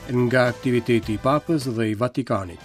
Nga aktiviteti i Papës dhe i Vatikanit.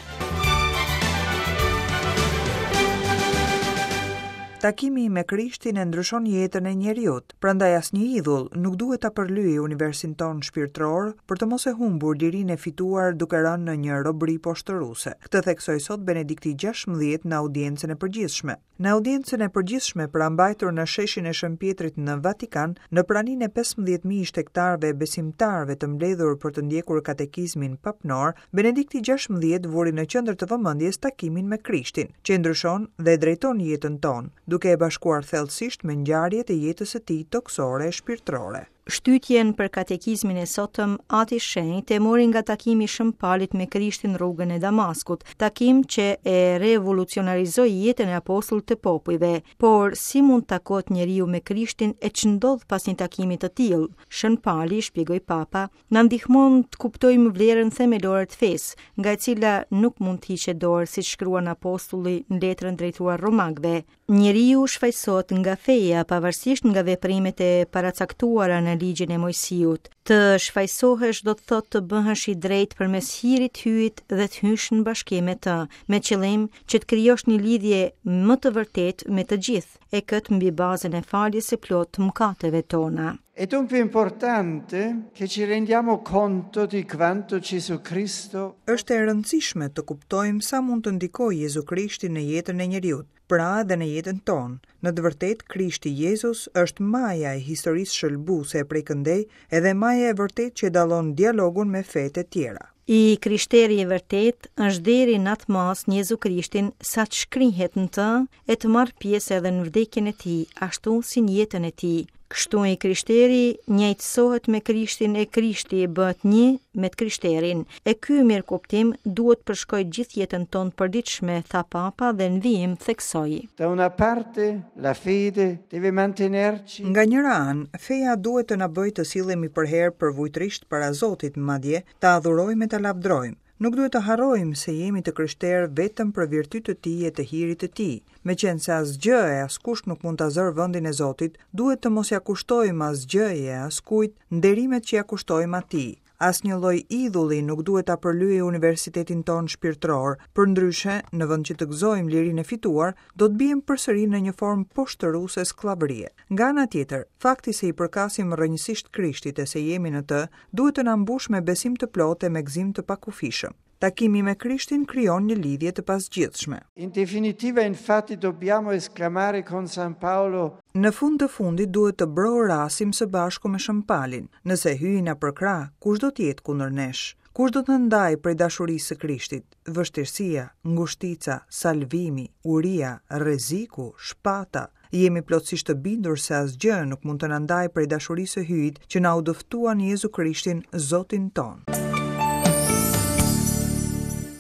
Takimi me Krishtin e ndryshon jetën e njeriut, prandaj asnjë idhull nuk duhet ta përlyejë universin tonë shpirtëror për të mos e humbur lirinë e fituar duke rënë në një robëri poshtëruese. Këtë theksoi sot Benedikti XVI në audiencën e përgjithshme. Në audiencën e përgjithshme pra mbajtur në sheshin e Shën Pjetrit në Vatikan, në praninë e 15.000 shtegtarëve e besimtarëve të mbledhur për të ndjekur katekizmin papnor, Benedikti XVI vuri në qendër të vëmendjes takimin me Krishtin, që e ndryshon dhe e drejton jetën tonë, duke e bashkuar thellësisht me ngjarjet e jetës së tij tokësore e shpirtërore. Shtytjen për katekizmin e sotëm, Ati i Shenjtë e mori nga takimi i Shën Palit me Krishtin në rrugën e Damaskut, takim që e revolucionarizoi jetën e apostullit të popujve. Por, si mund të takohet njeriu me Krishtin e ç'ndodh pas një takimi të tillë? Shën Pali, shpjegoi Papa, na ndihmon të kuptojmë vlerën themelore të fesë, nga e cila nuk mund të hiqet dorë, siç shkruan apostulli në letrën drejtuar romakëve. Njeriu shfajësohet nga feja, pavarësisht nga veprimet e paracaktuara në ligjin e Moisiut. Të shfajësohesh do të thotë të bëhesh i drejtë përmes hirit të Hyjit dhe të hysh në bashkim me të, me qëllim që të krijosh një lidhje më të vërtetë me të gjithë, e këtë mbi bazën e faljes së plotë të mëkateve tona. È dunque importante che ci rendiamo conto di quanto Gesù Cristo Është e rëndësishme të kuptojmë sa mund të ndikojë Jezu Krishti në jetën e njeriut, pra edhe në jetën tonë. Në të vërtetë, Krishti Jezus është maja e historisë shëlbuese e prej këndej edhe maja e vërtetë që e dallon dialogun me fetë e tjera. I krishteri i vërtetë është deri në atë masë në Jezu Krishtin sa të shkrihet në të e të marrë pjesë edhe në vdekjen e tij, ashtu si në jetën e tij. Kështu i krishteri njëjtësohet me Krishtin e Krishti bëhet një me të krishterin. E ky mirëkuptim duhet të përshkojë gjithë jetën tonë të përditshme, tha Papa dhe në vijim theksoi. Da una parte la fede deve mantenerci Nga njëra anë, feja duhet të na bëjë të sillemi përherë përvujtërisht para Zotit, madje, ta adhurojmë e ta lavdërojmë. Nuk duhet të harrojmë se jemi të krishterë vetëm për virtyt të Tij e të hirit të Tij. Meqenëse asgjë e askush nuk mund ta zërë vendin e Zotit, duhet të mos ia kushtojmë asgjëje e askujt nderimet që ia kushtojmë Atij. Asnjë lloj idhulli nuk duhet ta përlyejë universitetin tonë shpirtëror, përndryshe, në vend që të gëzojmë lirinë e fituar, do të biem përsëri në një formë poshtëruese skllavërie. Nga ana tjetër, fakti se i përkasim rrënjësisht Krishtit e se jemi në të, duhet të na mbushë me besim të plotë e me gëzim të pakufishëm. Takimi me Krishtin krijon një lidhje të pazgjidhshme. In definitiva infatti dobbiamo esclamare con San Paolo. Në fund të fundit duhet të brohorasim së bashku me Shën Palin, Nëse Hyji na përkrah, kush do të jetë kundër nesh? Kush do të na ndajë prej dashurisë së Krishtit? Vështirësia, ngushtica, salvimi, uria, rreziku, shpata, Jemi plotësisht të bindur se asgjë nuk mund të na ndajë prej dashurisë së Hyjit që na u dëftua në Jezu Krishtin, Zotin tonë.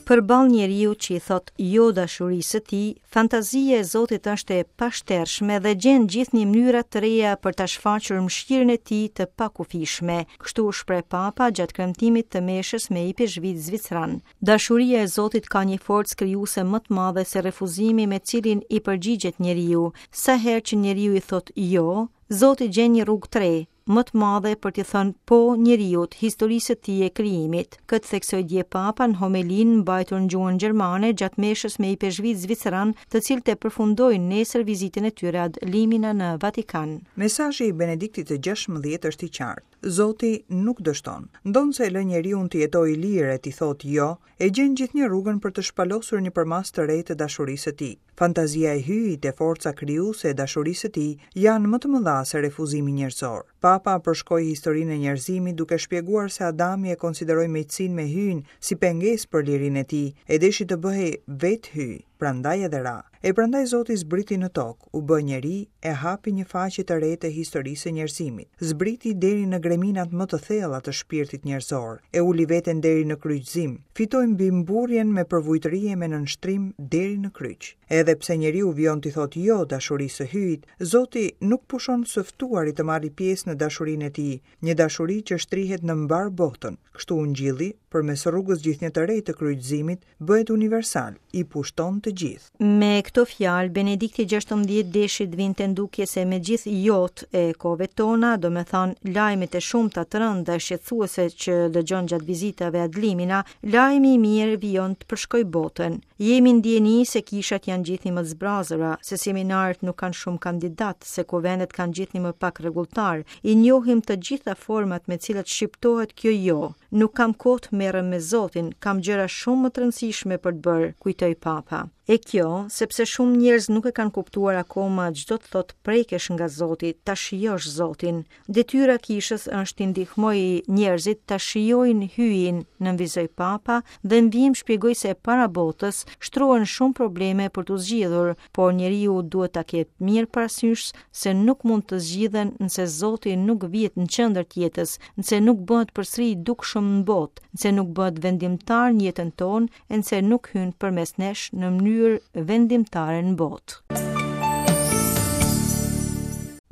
Përballë njeriut që i thotë jo dashurisë së tij, fantazia e Zotit është e pashtershme dhe gjen gjithnjë mënyra të reja për ta shfaqur mëshirën e tij të pakufishme. Kështu u shpreh Papa gjatë kremtimit të meshës me ipeshkvijtë zviceranë. Dashuria e Zotit ka një forcë krijuese më të madhe se refuzimi me cilin i përgjigjet njeriu. Sa herë që njeriu i thotë jo, Zoti gjen një rrugë të re, më të madhe për t'i thënë po njeriut, historisë së tij e krijimit. Këtë theksoi dje Papa në homelinë mbajtur në gjuhën gjermane gjatë meshës me ipeshkvijtë zviceranë, të cilët e përfundojnë nesër vizitën e tyre ad limina në Vatikan. Mesazhi i Benediktit të XVI është i qartë. Zoti nuk dështon. Ndonëse e lë njeriun të jetojë i lirë e t'i thotë jo, e gjen gjithnjë rrugën për të shpalosur një përmasë të re të dashurisë së tij. Fantazia e Hyjit e forca krijuese e dashurisë së tij janë më të mëdha se refuzimi njerëzor. Papa përshkoi historinë e njerëzimit duke shpjeguar se Adami e konsideroi miqësinë me Hyjin si pengesë për lirinë e tij, e deshi të bëhej vetë Hyj, prandaj edhe ra. E prandaj Zoti zbriti në tokë, u bë njeri e hapi një faqe të re të historisë së njerëzimit. Zbriti deri në greminat më të thella të shpirtit njerëzor, e uli veten deri në kryqëzim, fitoi mbi mburrjen me përvujtëri e me nënshtrim deri në kryq. Edhe pse njeriu vijon t'i thotë jo dashurisë së Hyjit, Zoti nuk pushon së ftuari të marrë pjesë në dashurinë e tij, një dashuri që shtrihet në mbarë botën. Kështu ungjilli, përmes rrugës gjithnjë të re të kryqëzimit, bëhet universal, i pushton të gjithë. Me. këto fjalë, Benedikti 16 deshi të vinte në dukje se me gjithë jo-të e kohëve tona, domethënë lajmet e shumta të rënda e shqetësuese që dëgjon gjatë vizitave ad limina, lajmi i mirë vijon të përshkojë botën. Jemi në dijeni se kishat janë gjithnjë më të zbrazura, se seminaret nuk kanë shumë kandidatë, se kuvendet kanë gjithnjë më pak rregulltarë. I njohim të gjitha format me të cilat shqiptohet kjo jo. Nuk kam kohë të merrem me Zotin, kam gjëra shumë më të rëndësishme për të bërë, kujtoi Papa. E kjo, sepse shumë njerëz nuk e kanë kuptuar akoma ç'do të thotë të prekesh nga Zoti, ta shijosh Zotin. Detyra e kishës është t'i ndihmojë njerëzit ta shijojnë Hyjin, nënvizoi Papa dhe në vijim shpjegoi se para botës shtrohen shumë probleme për t'u zgjidhur, por njeriu duhet ta ketë mirë parasysh se nuk mund të zgjidhen nëse Zoti nuk vihet në qendër të jetës, nëse nuk bëhet përsëri i dukshëm në botë, nëse nuk bëhet vendimtar në jetën tonë e nëse nuk hyn përmes nesh në mënyrë vendimtare në botë.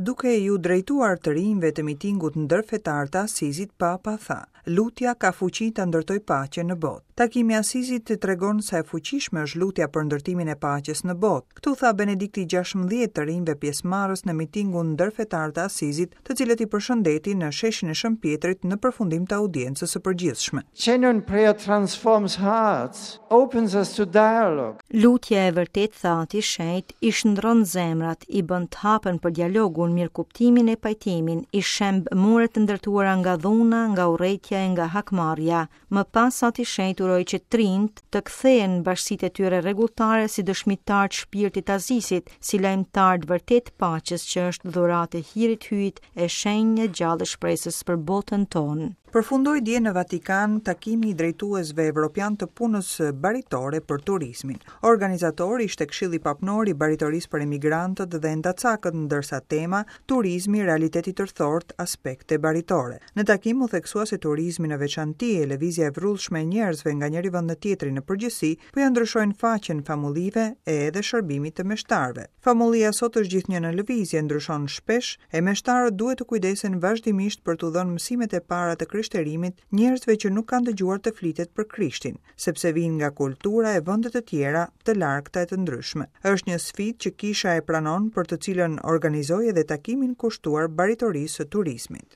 Duke iu drejtuar të rinjve të mitingut ndërfetar të Asizit, Papa tha, Lutja ka fuqi ta ndërtojë paqen në botë. Takimi i Asizit tregon sa e fuqishme është lutja për ndërtimin e paqes në botë. Këtë u tha Benedikti 16 të rinjve pjesëmarrës në mitingun ndërfetar të Asizit, të cilët i përshëndeti në sheshin e Shën Pjetrit në përfundim të audiencës së përgjithshme. Genuine prayer transforms hearts, opens us to dialogue. Lutja e vërtetë, tha Ati i Shenjtë, i shndërron zemrat, i bën të hapen për dialogun, mirëkuptimin e pajtimin, i shemb muret e ndërtuara nga dhuna, nga urrejtja e nga hakmarrja. Më pas Ati i Shenjtë uroi që të rinjtë të kthehen në bashkësitë e tyre rregulltare si dëshmitarë të shpirtit të Asisit, si lajmëtarë të vërtetë të paqes që është dhuratë e hirit të Hyjit e shenjë e gjallë e shpresës për botën tonë. Përfundoi dje në Vatikan takimi i drejtuesve evropianë të punës baritore për turizmin. Organizator ishte Këshilli Papnor i Baritorisë për Emigrantët dhe Endacakët, ndërsa tema Turizmi, realitet i tërthortë, aspekte baritore. Në takim u theksua se turizmi në veçanti e lëvizja e vrullshme e njerëzve nga njëri vend në tjetrin në përgjithësi po ia ndryshojnë faqen famullive e edhe shërbimit të meshtarëve. Famullia sot është gjithnjë në lëvizje, ndryshon shpesh, e meshtarët duhet të kujdesen vazhdimisht për t'u dhënë mësimet e para të krishterimit njerëzve që nuk kanë dëgjuar të flitet për Krishtin, sepse vijnë nga kultura e vende të tjera, të largëta e të ndryshme. Është një sfidë që kisha e pranon për të cilën organizoi edhe takimin kushtuar baritorisë së turizmit.